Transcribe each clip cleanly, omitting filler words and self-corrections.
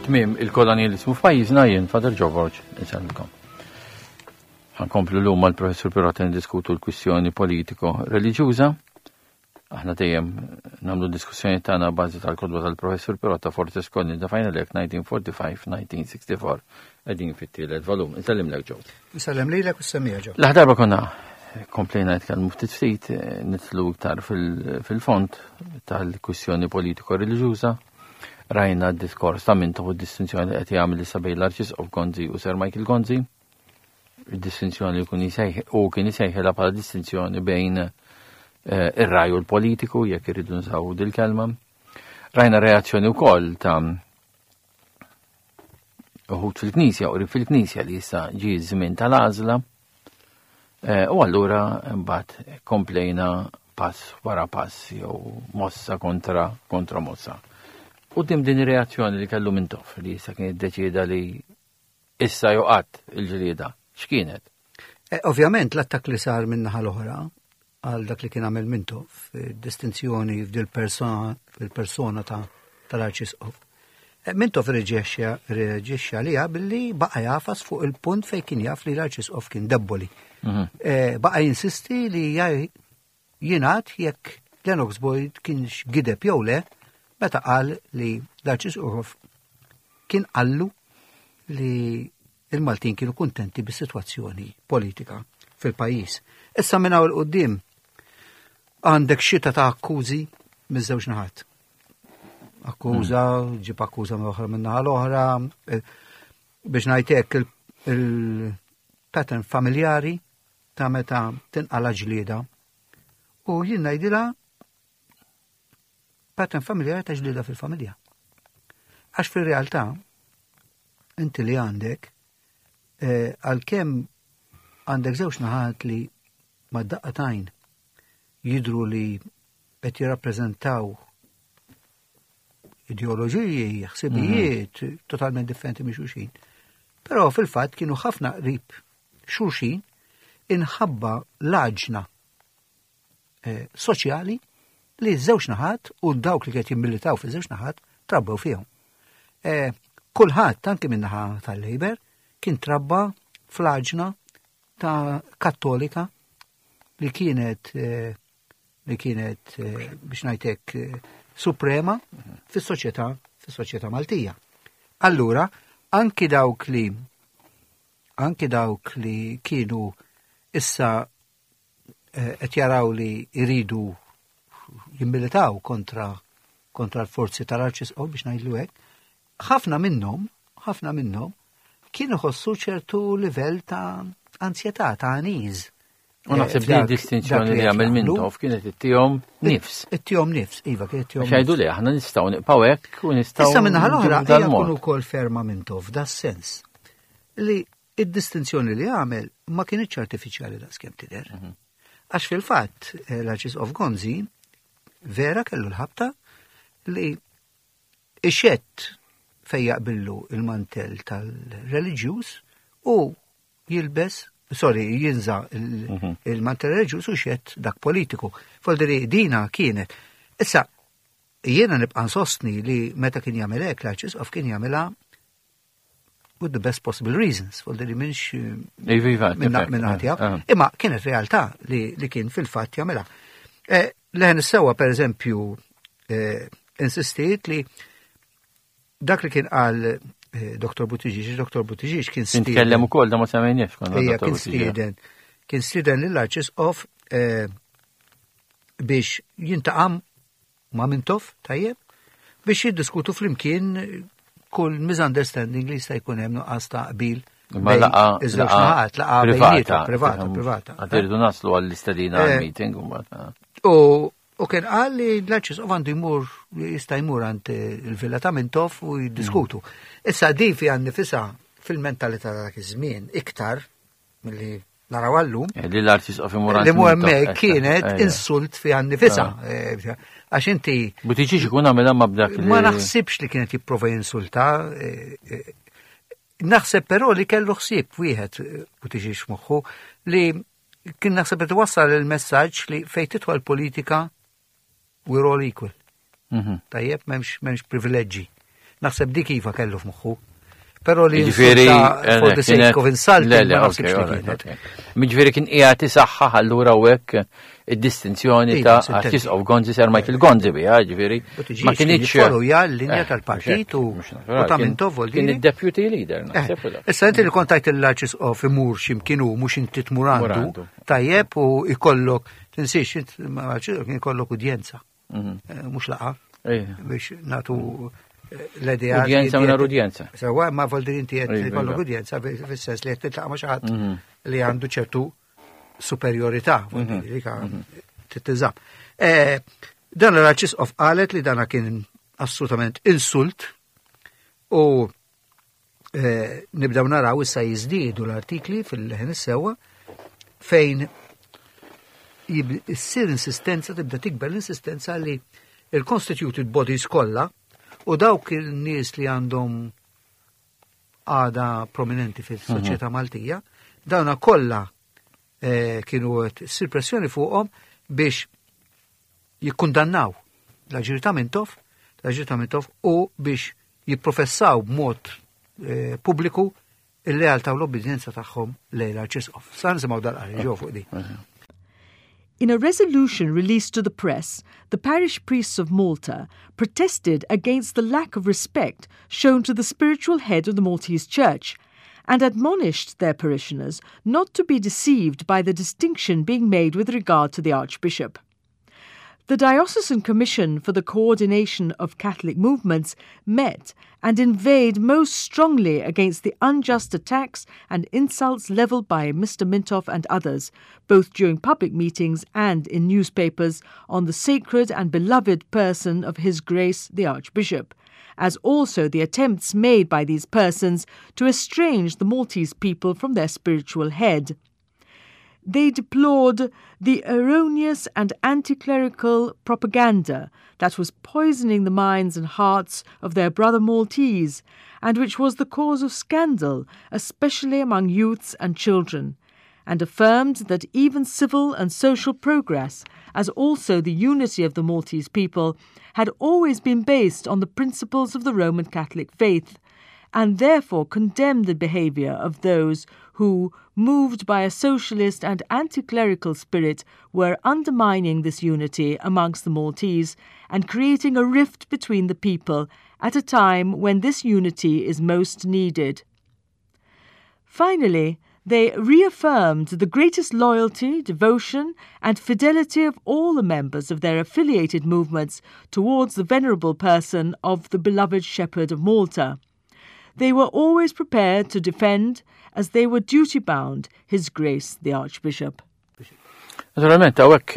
Tmiem il-kolonjalizmu f'pajjiżna jien Father Joe Borg insellmkom. Ħankomplu llum mal-Professur Pirotta niddiskutu l-kwistjoni politiko-reliġjuża. Aħna dejjem nagħmlu diskussjoni tagħna bażi tal-kodba tal-Professur Pirotta Fortes Colni da Final Act 1945-1964 qegħdin fit-tielet volum. Insellimlek Joe. Insellem lilek u s-semija Joe. L-aħ konna komplejna nitkellmu ftit ftit eh, nitlu iktar fil-fond tal-kwistjoni politiko-reliġjuża. Rajna d-diskors ta' Mintoff u d-distinzjoni li qed jagħmel issa bejn l-Arċisqof Gonzi u Sir Michael Gonzi. Id-distinzjoni li kun u kien isejħilha bħala distinzjoni bejn eh, ir-raj u l-politiku jekk irridu nsaw dil-kelma. Rajna reazzjoni wkoll ta' uħud fil-Knisja u fil-Knisja li issa ġie żmien tal-għażla. Eh, u allura mbagħad komplejna pass wara pass jew mossa kontra kontra mossa. U dim din ir-reazzjoni li kellu Mintoff li issa kien iddeċieda li Issa jew qatt il-ġlieda, x'kienet? Eh, ovvjament l-attakk li sar minn naħa l-oħra għal dak li kien għamel Mintoff, distinzjoni f'dil-persona fil-persona ta' tal-Arċisqof. Eh, Mintoff reġixxa liha billi baqa' jafas fuq il-punt fejn kien jaf li l-Arċisqof kien debboli. Mhm. Eh, baqa' jinsisti li Jingħad jekk Lennox Boyd kienx gideb jew le meta qal li l-Arċisqof kien qallu li il-Maltin kienu kuntenti bis-sitwazzjoni politika fil-pajjiż. Issa minn hawn il-qudiem għandek xita ta' akkużi miż-żewġ naħat. Akkuża, hmm. ġib akkuża minn oħra minn naħa l-oħra, eh, biex ngħidlek il-pattern familjari ta' meta tinqala ġlieda. U jien ngħidilha pattern familjari ta' ġlieda fil-familja. Għax fir-realtà inti li għandek eh, għalkemm għandek żewġ naħat li ma daqqa tajn jidru li qed jirrappreżentaw ideoloġiji, ħsibijiet mhm. totalment differenti minn xulxin. Però fil-fatt kienu ħafna qrib xulxin inħabba l-għaġna eh, soċjali li ż-żewġ naħat u dawk li qed jimmilitaw fi żewġ naħat trabbew fihom. Eh, kulħadd anke min-naħa tal-Labour kien trabba fl-għaġna ta' kattolika li kienet eh, li kienet biex ngħidlek suprema fis-soċjetà fis-soċjetà Maltija. Allura, anki dawk li anki dawk li kienu issa eh, qed jaraw li jridu jimmilitaw kontra kontra l-forzi tal-arċisqof biex ngħidlu hekk, ħafna minnhom, ħafna minnhom kienu ħossu ċertu livell ta' ansjetà, ta' aniż. U naħseb li distinzjoni li għamil Mintoff kienet ittihom nifs. Ittihom nifs, iva, kienet ittihom. Xajdu li aħna nistgħu nibqgħu hekk u nistgħu. Issa minna l-oħra hija kun ukoll ferma Mintoff da sens li id-distinzjoni li għamel ma kienitx artifiċjali daqskemm tidher. Mhm. Għax fil-fatt eh, l-Arċisqof Gonzi vera kellu l-ħabta li ixett fejn jaqbillu il-mantell tal-reliġjuż u jilbes, sorry, jinża mhm. il-mantell reliġjuż u xett dak politiku. Folderi dina kienet. Issa, jiena nibqa' nsostni li meta kien jagħmel hekk l-Arċisqof kien jagħmilha with the best possible reasons, folderi minx iva, iva, minn ħatja. Eh, eh. Imma kienet realtà li, li kien fil-fatt jagħmilha. Eh, Leħen is-sewa per eżempju insistiet li dak li kien qal eh, Dr. Buttigieg, Dr. Buttigieg kien stieden. Nitkellem ukoll da ma semmejniex konna. Ejja, kien stieden. Kien stieden lill-Arċisqof eh, biex jintaqam ma' Mintoff, tajjeb, biex jiddiskutu flimkien kull misunderstanding li jista' jkun hemm nuqqas ta' qbil. Ma laqa, laqa privata, privata, privata. Għadirdu naslu għall-istedina eh, għal-meeting. U U kien qal li l-Arċisqof għandu jmur, jista' jmur għand il-villa ta' Mintoff u jiddiskutu. Issa din fiha nnifisha fil-mentalità ta' dak iż-żmien iktar milli naraw għallum. Eh, li l-Arċisqof imur għand. Li mu hemmhekk kienet eh, insult fiha nnifisha. Ah. Eh, għax inti. Butiġi ikun għamilha ma b'dak Ma naħsibx li kienet jipprova jinsulta. Naħseb però li kellu ħsieb wieħed Buttiġieġ moħħu li Kien naħseb qed iwassal il-messaġġ li fejn tidħol politika we're all equal. Mhm. Tajjeb, m'hemmx m'hemmx privileġġi. Naħseb dik iva kellu f'moħħu. Però li Ġifieri for the sake of insulting, Le, le, ma ok, naħsibx li alright, kienet. ok. Jiġifieri kien qiegħed isaħħaħ allura u hekk id-distinzjoni Iva, ta' sintendi. Arċisqof Gonzi Sir Michael Gonzi biha, ġifieri. Buttigieg Ma kien kienx jiffollowja l-linja Eh, tal-partit u- mhux hekk, mhux u naturali. ta' Kien- Mintoff vuol Kien dire. id-deputy leader, Eh, naħseb. u dak. Issa inti li kontajt l-arċisqof imur x'imkien u mhux inti tmur Mur għandu, għandu. tajjeb u ikollok, tinsiex, int ma' l-arċisqof kien ikollok udjenza, eh, mhux laqa Ej. biex natu eh, l-idea. Udjenza mingħajr udjenza. Sewa, ma vuol dire inti qed Iva, ikollok iva. udjenza fis-sens li qed titlaqa' ma' xi ħadd li għandu ċertu superjorità, vuol dire li ka tittiżam. Eh, Dan l-arċisqof qalet li dana kien assolutament insult u eh, nibdew naraw issa jiżdiedu l-artikli fil-ħin is-sewwa fejn jib- issir insistenza, tibda tikber l-insistenza li il-constituted bodies kollha u dawk il-nies li għandhom għada prominenti fis-soċjetà Maltija, dawna kollha eh, kienu qed issir pressjoni fuqhom biex jikkundannaw l-aġir ta' Mintoff, l-aġir ta' Mintoff u biex jipprofessaw b'mod eh, pubbliku il-lealtà u l-obbedjenza tagħhom lejn l-Arċisqof. Sa nisimgħu dal-qari ġew fuq di. In a resolution released to the press, the parish priests of Malta protested against the lack of respect shown to the spiritual head of the Maltese Church and admonished their parishioners not to be deceived by the distinction being made with regard to the Archbishop. The Diocesan Commission for the Coordination of Catholic Movements met and inveighed most strongly against the unjust attacks and insults levelled by Mr. Mintoff and others, both during public meetings and in newspapers, on the sacred and beloved person of His Grace the Archbishop, as also the attempts made by these persons to estrange the Maltese people from their spiritual head. They deplored the erroneous and anti clerical propaganda that was poisoning the minds and hearts of their brother Maltese, and which was the cause of scandal, especially among youths and children, and affirmed that even civil and social progress, as also the unity of the Maltese people, had always been based on the principles of the Roman Catholic faith, and therefore condemned the behaviour of those who, moved by a socialist and anti clerical spirit, were undermining this unity amongst the Maltese and creating a rift between the people at a time when this unity is most needed. Finally, they reaffirmed the greatest loyalty, devotion, and fidelity of all the members of their affiliated movements towards the venerable person of the beloved Shepherd of Malta. They were always prepared to defend, as they were duty bound, His Grace the Archbishop. Naturalment, hawnhekk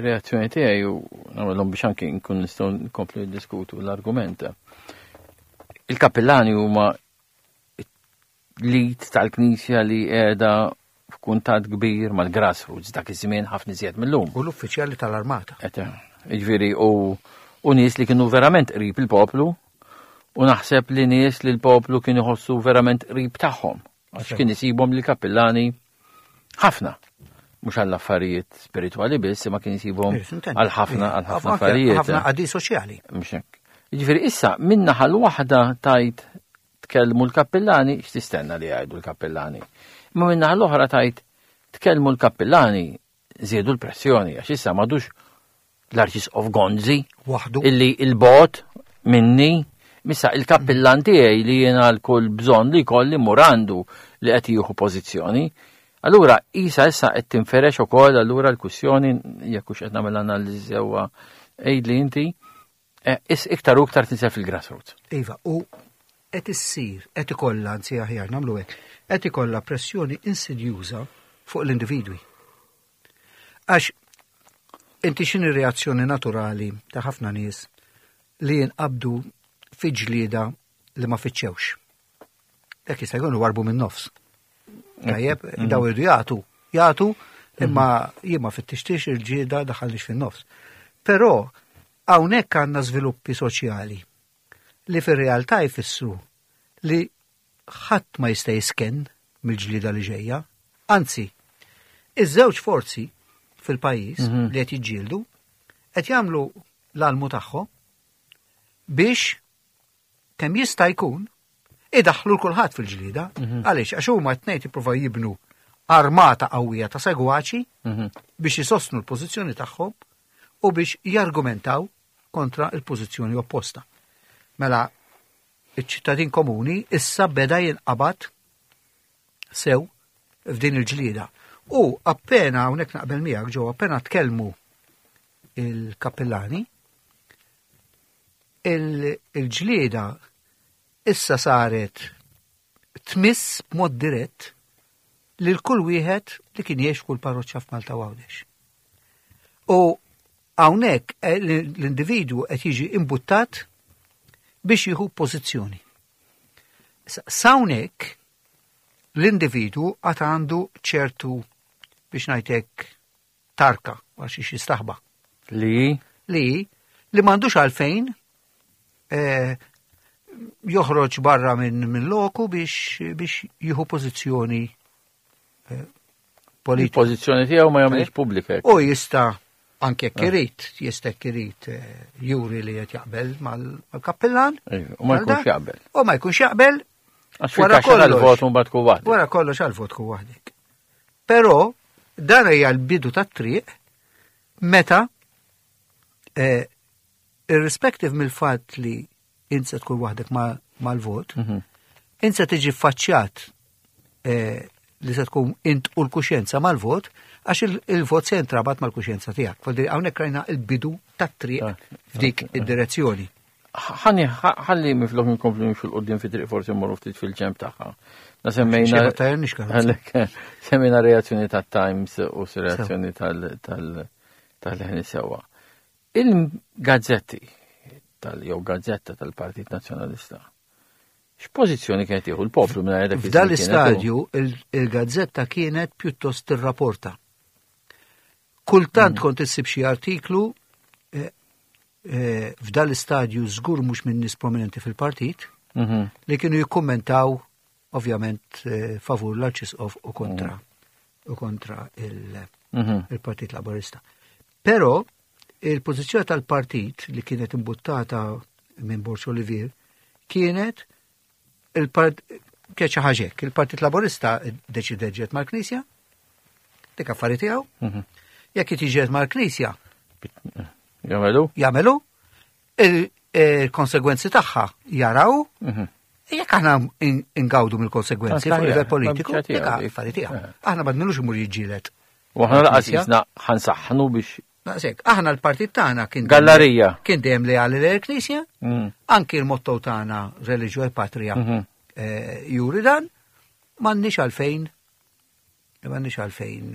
reazzjoni tiegħi u nagħmelhom biex anki nkun nistgħu nkomplu niddiskutu l-argument. Il-kappillani huma l-id tal-Knisja li qiegħda f'kuntatt kbir mal-grassroots dak iż-żmien ħafna iżjed mill-lum. U l-uffiċjali tal-armata. Jiġifieri u nies li kienu verament qrib il-poplu u naħseb li nies li l-poplu kienu jħossu verament qrib tagħhom. Għax kien isibhom li kappillani ħafna. Mhux għall affarijiet spiritwali biss, imma kien isibhom għal ħafna għal ħafna affarijiet. Ħafna qadi soċjali. Mhux hekk. Jiġifieri issa min-naħa l-waħda tajt tkellmu l-kappillani, x'tistenna li jgħidu l-kappillani. Imma min-naħa l-oħra tajt tkellmu l-kappillani żiedu l-pressjoni għax issa m'għadux l-Arċisqof Gonzi Waħdu. illi il-bot minni missa il-kappillan tiegħi li jiena l-kull bżonn li kolli murandu li qed jieħu pożizzjoni. Allura isa issa qed tinferex ukoll allura l-kwistjoni jekk hux qed nagħmel analiżi sewwa għidli inti eh, is iktar u iktar tinsel fil-grassroots. Iva, u qed issir, qed ikollha anzi aħjar nagħmlu hekk, qed ikollha pressjoni insidjuża fuq l-individwi. Għax inti x'inhi reazzjoni naturali ta' ħafna nies li jinqabdu fi ġlieda li ma fittxewx. Dak jista' jkunu warbu minn nofs. Tajjeb, daw irdu jagħtu, jagħtu, imma jien ma fittixtix il-ġieda daħalniex fin-nofs. Però hawnhekk għandna żviluppi soċjali li fir-realtà jfissru li ħadd ma jista' jisken mill-ġlieda li ġejja. Anzi, iż-żewġ forzi fil-pajjiż li qed jiġġieldu qed jagħmlu l-almu tagħhom biex kemm jista' jkun idaħħlu 'l kulħadd fil-ġlieda. Għaliex? Għax huma t-tnejn jippruvaw jibnu armata qawwija ta' segwaċi biex isostnu l-pożizzjoni tagħhom u biex jargumentaw kontra l-pożizzjoni opposta. Mela, iċ-ċittadin komuni issa beda jinqabad sew f'din il-ġlieda. U appena, hawnhekk naqbel miegħek ġew, appena tkellmu il-kappillani, il-ġlieda issa saret tmiss b'mod dirett lil kull wieħed li kien jgħix f'kull parroċċa f'Malta u Għawdex. U hawnhekk eh, l-individwu qed jiġi imbuttat biex jieħu pożizzjoni. S'hawnhekk l-individwu għad għandu ċertu biex ngħidlek tarka għax xiex jistaħba. Li? Li, li m'għandux għalfejn eh, joħroġ barra minn min loku biex, biex jieħu pożizzjoni eh, politika. Pożizzjoni tiegħu ma jagħmilx pubblika. U jista' anke jekk ah. irid, jista' jekk irid eh, juri li qed jaqbel mal-kappillan. U ma jkunx jaqbel. U ma jkunx jaqbel. Wara kollox għal-vot mbagħad tkun waħdek. Wara kollox għal-vot tkun waħdek. Però dan hija l-bidu tat-triq meta eh, irrispective mill-fatt li int se tkun waħdek mal-vot, mhm. int se tiġi faċċjat eh, li se tkun int u l-kuxjenza mal-vot, għax il-vot se jintrabat mal-kuxjenza tiegħek. Fodri hawnhekk rajna il-bidu tat-triq ah, f'dik ah, ah. id-direzzjoni. Ħalli ħalli miflok nkomplu nimxu l-qudiem fi triq forsi mmorru ftit fil-ġemp tagħha. Na semmejna semmejna reazzjoni tat-Times u reazzjoni tal-ħni sewwa. Il-gazzetti tal jew gazzetta tal-Partit Nazzjonalista. X'pożizzjoni kienet jieħu l-poplu minn dak F'dan l-istadju il-gazzetta kienet pjuttost tirrapporta. Kultant mm. kont issib xi artiklu eh, eh, f'dan l-istadju żgur mhux minn nies prominenti fil-partit mhm. li kienu jikkummentaw ovvjament eh, favur l-Arċisqof u kontra mm. u kontra mhm. il-Partit Laburista. Però il-pożizzjoni tal-partit li kienet imbuttata minn Borg Olivier kienet il-part kienet xi ħaġa hekk, il-Partit Laburista deċida ġiet mal-Knisja, dik affari tiegħu. Mhm. Jekk jiġiet mal-Knisja, Jagħmelu? Jagħmelu. Il-konsegwenzi tagħha jaraw. Mhm. Jekk aħna ingawdu mill-konsegwenzi fuq livell politiku, dik affari tiegħu. Eh. Aħna ma dnilux imur jiġġieled. U aħna laqas jisna ħansaħħnu biex Naqsek, aħna l-partit tagħna kien Gallerija. Kien dejjem leali lejn il-Knisja, mm. anki l-motto tagħna Religio e Patria mhm. eh, juri dan, m'għandniex għalfejn m'għandniex għalfejn.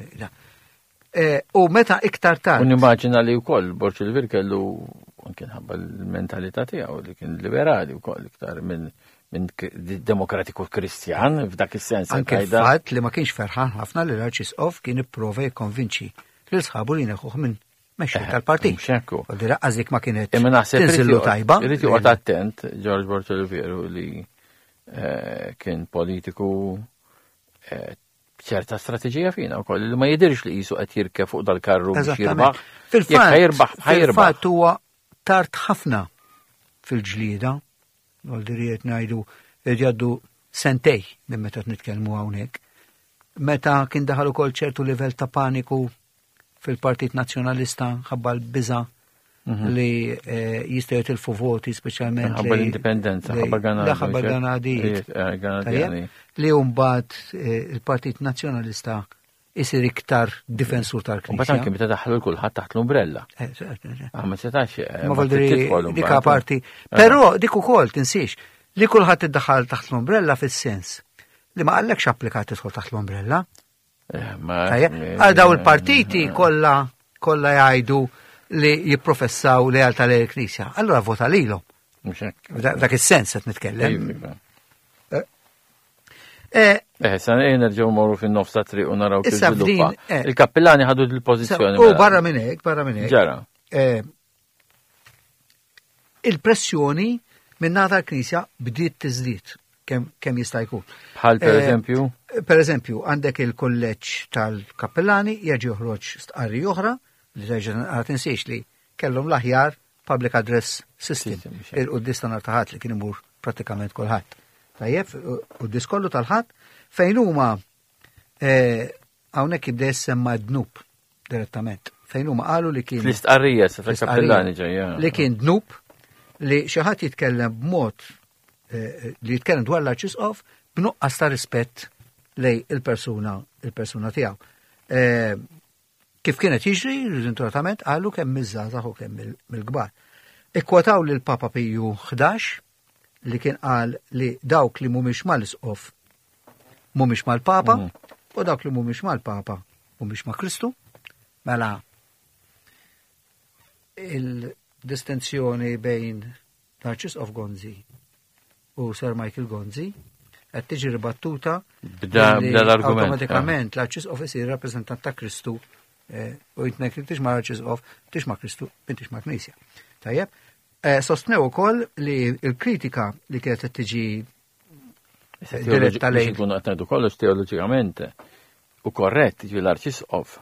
Eh, u meta iktar tard. U nimmaġina li wkoll Borġ il-Vir kellu anke nħabba l-mentalità tiegħu li kien liberali wkoll iktar minn minn demokratiku kristjan f'dak is-sens. Anke l-fatt li ma kienx ferħan ħafna li l-Arċisqof kien ipprova jikkonvinċi lil sħabu li neħuh minn mexxej eh, tal-partit. Xekku. U dira għazik ma kienet Imma naħseb tinżillu tajba. Irid joqgħod attent George Bortoli veru li eh, kien politiku eh, ċerta strateġija fina wkoll li ma jidirx li qisu qed jirkeb fuq dal-karru biex jirbaħ. Fil-fatt jirbaħ, Fil-fatt huwa tard ħafna fil-ġlieda, għal ngħidu jgħaddu sentej minn meta nitkellmu hawnhekk. Meta kien daħal ukoll ċertu livell ta' paniku fil-Partit Nazzjonalista ħabba l-biża mhm. li eh, jistgħu jitilfu voti speċjalment. Ħabba l-indipendenza, ħabba Ganadi. Ħabba Ganadi. Eh, li mbagħad eh, il-Partit Nazzjonalista isir iktar difensur tal-Knisja. Mbagħad anke meta daħlu kulħadd taħt l-umbrella. Ah, ma setax. Ma voldri dik parti. Però dik ukoll tinsiex li kulħadd iddaħħal taħt l-umbrella fis-sens li ma qallekx applikat tidħol taħt l-umbrella. Eh, Għal daw il-partiti kollha kollha jgħidu li jipprofessaw lealtà lejn il-Knisja. Allura vota lilhom. Dak is-sens qed nitkellem. Iva. Eh, eh, eh sa nerġgħu morru fin-nofs ta' triq u naraw kif żviluppa. Il-kappillani ħadu l-pożizzjoni. U mela. barra minn hekk, barra minn hekk. Ġara. Il-pressjoni minn nata l-Knisja bdiet tiżdied kemm jista' jkun. Bħal per eh, eżempju? Per eżempju, għandek il-kolleġġ tal-kappellani jerġa' joħroġ stqarri oħra li terġa' għad tinsiex li kellhom l-aħjar public address system. Il-quddis ta' nhar ta' li kien imur pratikament kulħadd. Tajjeb, quddies kollu tal-Ħadd fejn huma eh, hawnhekk jibda jissemma dnub direttament. Fejn huma qalu li kien. Fl-istqarrija, sa fil-kappellani ġejja. Li kien dnub li xi ħadd jitkellem b'mod eh, li jitkellem dwar l-arċisqof b'nuqqas ta' rispett lej il-persuna il-persuna tiegħu. Eh, kif kienet jiġri, riżenturatament qalu kemm miż-żgħażagħ u kemm mill-kbar. Ikkwotaw lil Papa Piju 11 li kien qal li dawk li mhumiex mal-isqof mhumiex mal-Papa u dawk li mhumiex mal-Papa mhumiex ma' Kristu. Mela il-distinzjoni bejn l-Arċisqof Gonzi u Sir Michael Gonzi qed tiġi ribattuta b'da l-argument. Awtomatikament l-Arċisqof isir rappreżentant ta' Kristu eh, u jitnek intix ma' Arċisqof, intix ma' Kristu, intix ma' Knisja. Tajjeb, eh, sostnew ukoll li l-kritika li kienet qed tiġi diretta lejn. Nkunu qed ngħidu kollox teoloġikament u korrett ġi l-Arċisqof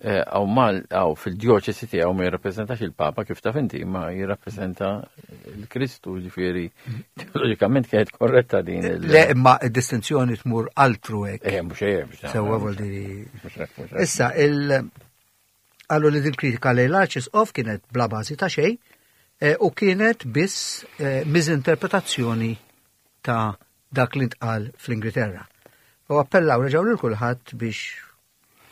eh, għaw mal għaw fil-djoċesi tiegħu ma jirrappreżentax il-Papa kif taf inti, ma jirrappreżenta l-Kristu ġifieri teologikament kienet korretta din il- Le, imma id-distinzjoni tmur altru hekk. Eh, mhux hekk, mhux hekk. Sewwa vuol diri. Mhux hekk, mhux hekk. Issa, il qalu li din kritika lejn l-Arċisqof kienet bla bażi ta' xejn eh, u kienet biss eh, miżinterpretazzjoni ta' dak li ntqal fl-Ingilterra. U appellaw reġgħu lil kulħadd biex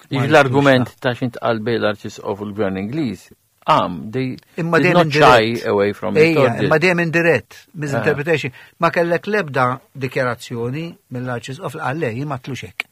Jiġi l-argument ta' xint qal bejn l-Arċisqof u l-Gvern Ingliż, għam, they Imma did dejjem not shy indirett. away from it. Ejja, or did- imma dejjem indirett, misinterpretation. Ma kellek lebda dikjarazzjoni mill-Arċisqof li qal le, jien ma tlux hekk.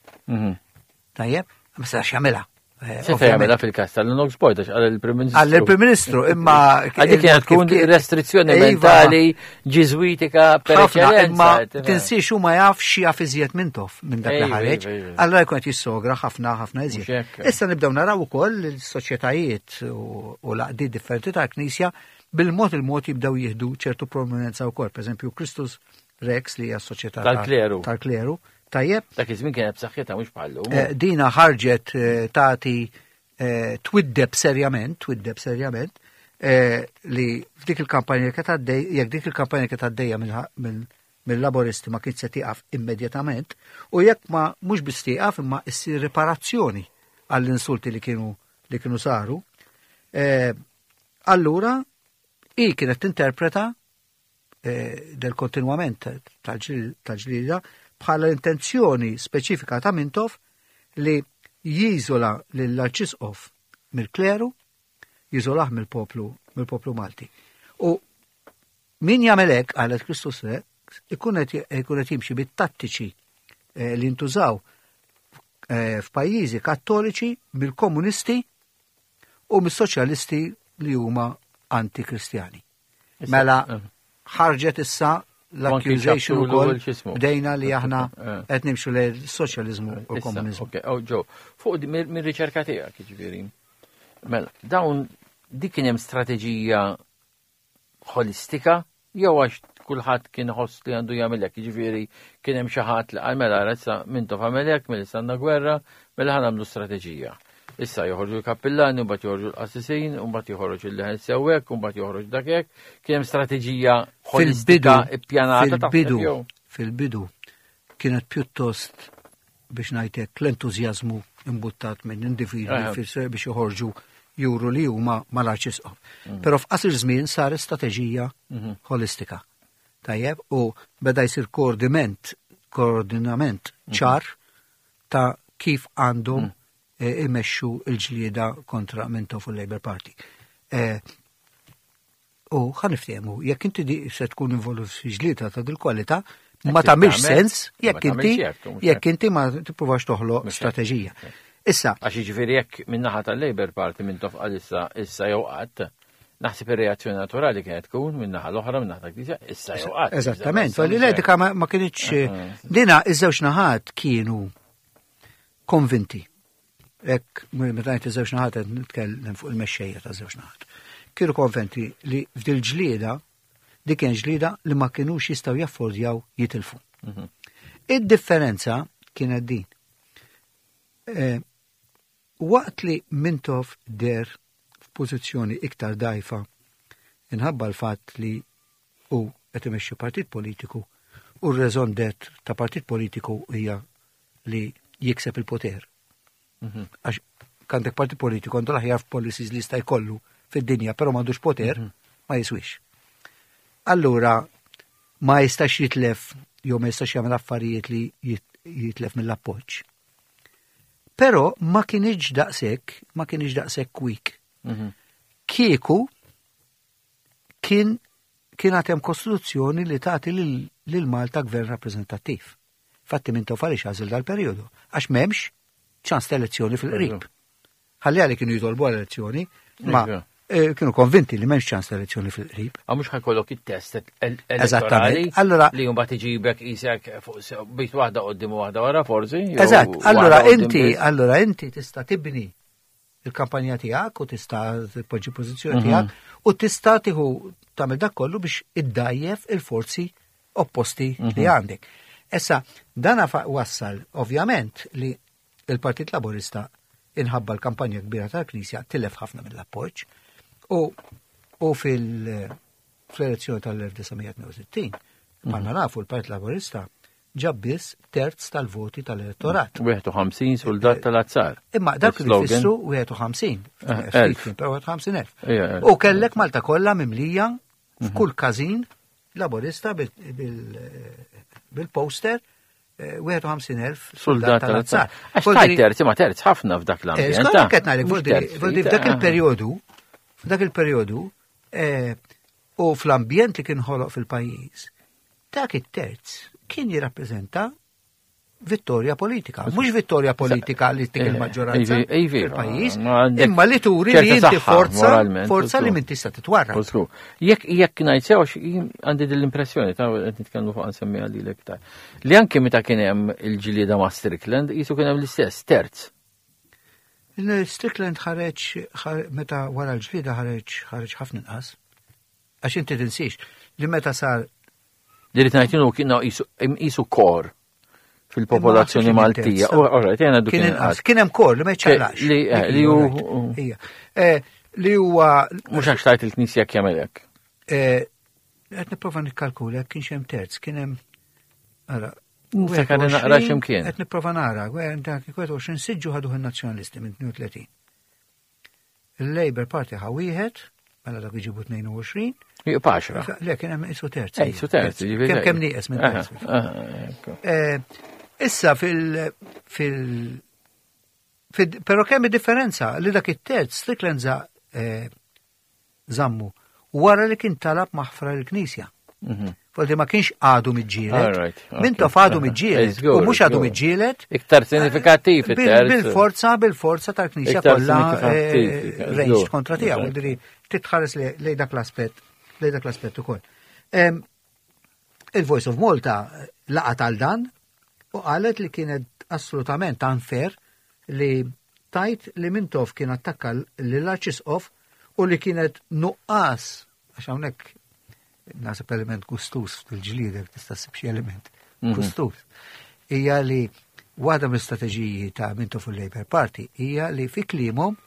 Tajjeb, ma setax jagħmilha. Eh, Seta' jagħmilha fil-każ tal-Lennox Boyd għax qal il-Prim Ministru. Għall il-Prim Ministru, imma. Għalli kienet tkun restrizzjoni Iva. mentali ġiżwitika per ħafna, imma eċċellenza. tifhem. tinsiex u ma jafx jaf iżjed minn tof minn dak li Ejwa, ħareġ. ejwa, ejwa. Allora jkun qed jissogra ħafna ħafna iżjed. Mhux hekk. Issa nibdew naraw ukoll il-soċjetajiet u u l-għaqdiet differenti tal-Knisja bil-mod il-mod jibdew jieħdu ċertu prominenza wkoll. Pereżempju Christus Rex li hija s-soċjetà Tal-kleru. Tal-kleru. Tajjeb, Dak iż-żmien kienet b'saħħitha mhux bħallu. Eh, dina ħarġet eh, tagħti eh, twiddeb serjament, twiddeb serjament, eh, li f'dik il-kampanja kienet għaddej, jekk dik il-kampanja kienet għaddejja mill-laboristi ma kienx se tieqaf immedjatament, u jekk ma mhux biss tieqaf imma issir riparazzjoni għall-insulti li kienu li kienu saru, eh, allura i kienet tinterpreta eh, del kontinwament tal-ġlida bħala l-intenzjoni speċifika ta' Mintoff li jiżola lill-arċisqof mill-kleru, jiżolah mill-poplu mill-poplu Malti. U min jagħmel hekk qalet Kristus Re, ikun qed jimxi bit-tattiċi eh, li ntużaw eh, f'pajjiżi kattoliċi mill-komunisti u mis-soċjalisti li huma antikristjani. Mela ħarġet issa l-accusation ukoll bdejna li aħna Eh. qed nimxu lejn soċjaliżmu u l-komuniżmu. Ok, oh, Joe, fuq mir-riċerka tiegħek, jiġifieri. Mela, dawn dik kien hemm strateġija ħolistika jew għax kulħadd kien ħoss li għandu jagħmel hekk, jiġifieri kien hemm xi ħadd li qal mela issa mintof għamel hekk, mela issa għandna gwerra, mela ħa nagħmlu strateġija. Issa joħorġu l-kappillani, mbagħad joħorġu l-qassisin, mbagħad joħroġ il-leħen sewwek, mbagħad joħroġ dak hekk. Kien hemm strateġija ħolistika ippjanata taħseb fil-bidu, jew? fil-bidu kienet pjuttost biex ngħidlek l-entużjażmu imbuttat minn individwi Aha. biex joħorġu juru li huma mal-arċisqof. Però f'qasir żmien saret strateġija ħolistika. Tajjeb, u beda jsir koordinament, koordinament ċar ta' kif għandhom eh, imexxu l-ġlieda kontra Mintoff u l-Labour Party. Eh, U ħa niftehmu, jekk inti di se tkun involut fi ġlieda ta' dil-kwalità, ma Jekk tagħmilx tagħmel, sens ma jekk inti tagħmilx hekk, mhux jekk hekk. inti ma tippruvax toħloq Mhux hekk. strateġija. Issa, Għax jiġifieri jekk min-naħa tal-Labour Party minn tofqa issa issa jew qatt, naħseb ir-reazzjoni naturali kienet tkun min-naħa l-oħra min-naħa tal-Knisja issa jew qatt. eżattament, Issa falli mhux hekk. l-etika ma ma kienitx dina iż-żewġ naħat kienu konvinti. Ek, meta ngħid iż-żewġ naħat qed nitkellem fuq il-mexxejja ta' żewġ naħat. Kienu konvinti li f'dil ġlieda dik kien ġlieda li ma kinux jistgħu jaffordjaw jitilfu. Id-differenza kienet din. Eh, waqt li Mintoff der f'pożizzjoni iktar dajfa inħabba l-fatt li u qed imexxi partit politiku u r-raison d'être ta' partit politiku hija li jikseb il-poter. Għax għandek partit politiku għandu l-aħjar policies li jista' jkollu fid-dinja, però m'għandux poter, ma jiswix. Allura ma jistax jitlef jew ma jistax jagħmel affarijiet li jitlef mill-appoġġ. Però ma kienx daqshekk, ma kienx daqshekk weak. Kieku kien kien hemm kostituzzjoni li tagħti lil Malta gvern rappreżentattiv. Fatti Mintoff għaliex għażel dal-perjodu, għax m'hemmx ċans ta' elezzjoni fil-qrib. Ħalli għalli kienu jitolbu għal elezzjoni, ma kienu konvinti li m'hemmx ċans ta' elezzjoni fil-qrib. Għax mhux ħa jkollok it-test elettorali Allora li mbagħad iġibek isek fuq bit waħda qoddim u waħda wara forsi. Eżatt, allora inti, allora inti tista' tibni il-kampanja tiegħek u tista' tpoġġi pożizzjoni tiegħek u tista' tieħu tagħmel dak kollu biex iddajjef il-forzi opposti li għandek. Issa, dana wassal ovvjament li il-Partit Laburista inħabba l-kampanja kbira tal-Knisja tilef ħafna mill-appoġġ u fil-elezzjoni tal-1962 bħalma nafu l-Partit Laburista ġab biss terz tal-voti tal-elettorat. 51 soldat tal-azzar. Imma dak li jfissru 51. Elf. Però 51,000. U kellek Malta kollha mimlija f'kull każin Laburista bil-poster 51,000 soldat tal-azzar. Għax tajt terzi ma terz ħafna f'dak l-ambjent. Skont qed ngħidlek, f'dak il-perjodu, f'dak il-perjodu u fl-ambjent li kien ħoloq fil-pajjiż, dak it-terz kien jirrappreżenta vittorja politika. Mhux vittorja politika li tik il-maġġoranza fil-pajjiż, imma li turi li inti forza, forza li min tista' titwarra. Jekk ngħid sew għandi din l-impressjoni ta' qed nitkellmu fuq nsemmiha lilek ta' li anke meta kien hemm il-ġlieda ma' Strickland qisu kien hemm l-istess terz. Strickland ħareġ meta wara l-ġlieda ħareġ ħareġ ħafna inqas. Għax inti tinsiex li meta sar Li rrid ngħid kien qisu kor fil-popolazzjoni Maltija. Kien inqas, kien hemm kor li ma jċaqlax. Li hu Li huwa mhux għax tajt il-Knisja kemm hekk. Qed nipprova nikkalkula kien hemm terz, kien hemm ara Niftakar naqra x'imkien. Qed nipprova nara, 21 siġġu ħaduh in-Nazzjonalisti minn 32. Il-Labour Party ħa wieħed, mela dak iġibu 22. Jibqa' 10. Le, kien hemm isu terz. Isu terz, jiġifieri. Kemm kemm nieqes minn terz. Issa fil fil però kemm differenza li dak it-terz Strickland żammu wara li kien talab maħfra l-Knisja. Foldi ma kienx għadu miġġielet. Mintoff għadu miġġielet. U mhux għadu miġġielet. Iktar sinifikattiv. Bil-forza, bil-forza tal-Knisja kollha ranged kontra tiegħu. Diri titħares lej dak l-aspett, lej dak l-aspett ukoll. Il-Voice of Malta laqat għal dan u qalet li kienet assolutament unfair li tajt li Mintoff kien attakka l-Arċisqof u li kienet nuqqas, għax hawnhekk naħseb element gustus fil-ġliedek, tista' ssib xi element gustus, hija li waħda mill-istrateġiji ta' Mintoff u Labour Party hija li fi kliemhom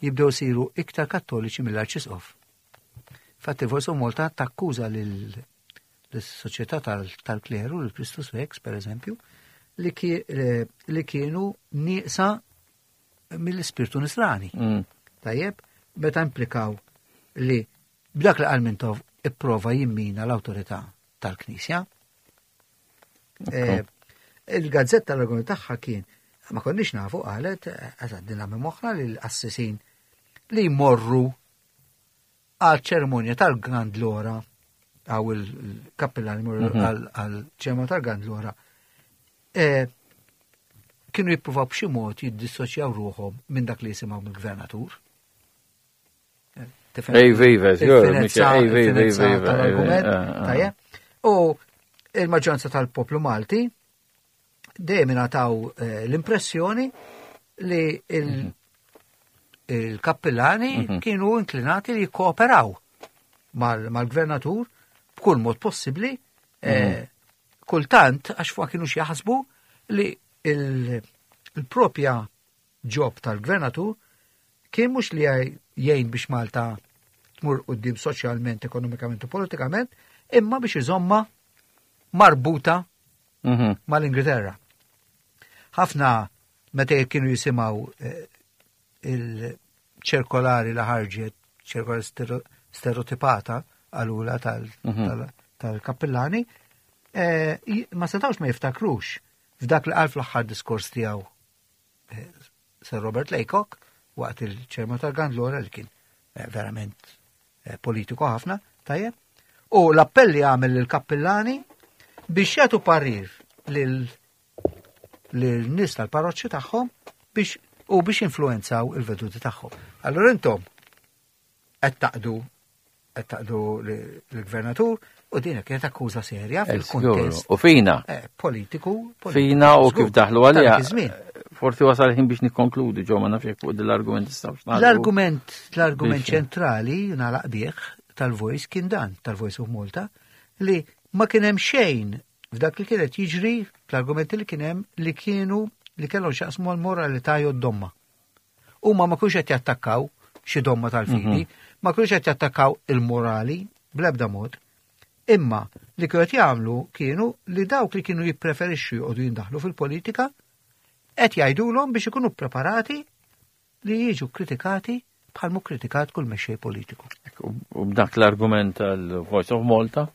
jibdew siru iktar kattoliċi mill-Arċisqof. Fatti Voice of Malta takkuża lill-soċjetà tal-kleru, l-Christus Rex, per eżempju, li kienu nieqsa mill-ispirtu nisrani. Tajjeb, meta implikaw li b'dak li qal Mintoff ipprova jimmina l-awtorità tal-Knisja. Il-gazzetta l-argument tagħha kien ma konniex nafu qalet għażaddina minn moħħna li l-qassisin li jmorru għal ċerimonja tal-Gandlora għaw il-kappellani jmorru għal ċerimonja tal-Gandlora kienu jippruvaw b'xi mod jiddissoċjaw ruħhom minn dak li jisimgħu mill-gvernatur. Ej, viva, tal-argument. U il-maġġoranza tal-poplu Malti dejjem ingħataw l-impressjoni li il-kappillani kienu inklinati li jikkooperaw mal-gvernatur b'kull mod possibbli, kultant għax fuq kienu jaħsbu li il-propja job tal-gvernatur kien mhux li jgħin biex Malta tmur quddiem soċjalment, ekonomikament u politikament, imma biex iżomma marbuta mhm. mal-Ingilterra. Ħafna meta kienu jisimgħu eh, il-ċirkolari li ħarġet, ċirkolari stereotipata għalula mhm. tal-kappillani, eh, ma setawx ma jiftakrux f'dak li qal fl-aħħar diskors tiegħu eh, Sir Robert Laycock waqt il-ċerma tal-Gandlora li kien eh, verament politiku ħafna, tajjeb. U l-appell li għamel lill-kappillani biex jagħtu parir lil lil-nies tal-parroċċi tagħhom biex u biex influenzaw il-veduti tagħhom. Allura intom qed taqdu qed taqdu l-gvernatur u din kienet akkuża serja fil-kuntest. U fina. Eh, politiku. Fina u kif daħlu għalija. Forsi wasal ħin biex nikkonkludi ġo ma nafx fuq l-argument nistgħux L-argument l-argument ċentrali nagħlaq bih tal-Voice kien dan, tal-Voice of Malta, li ma kien hemm xejn f'dak li kienet jiġri fl-argumenti li kien hemm li kienu li kellhom x'jaqsmu għall-moralità jew d-domma. Huma ma kienux qed jattakkaw xi domma tal-fidi, mhm. ma kienux qed jattakkaw il-morali bl-ebda mod. Imma li kienu qed jagħmlu kienu li dawk li kienu jippreferixxu joqogħdu jindaħlu fil-politika qed jgħidulhom biex ikunu preparati li jiġu kritikati bħal mu kritikat kull mexxej politiku. U b'dak l-argument tal-Voice of Malta,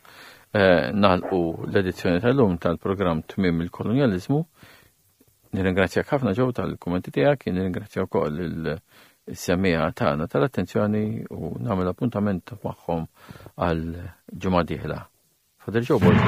eh, nagħlqu l-edizzjoni tal-lum tal-programm Tmiem il-Kolonjaliżmu. Nirringrazzjak ħafna ġew tal-kummenti tiegħek, nirringrazzja wkoll il-semmiegħa tagħna tal-attenzjoni u nagħmel appuntament magħhom għal ġimgħa dieħla. Father Joe Borg.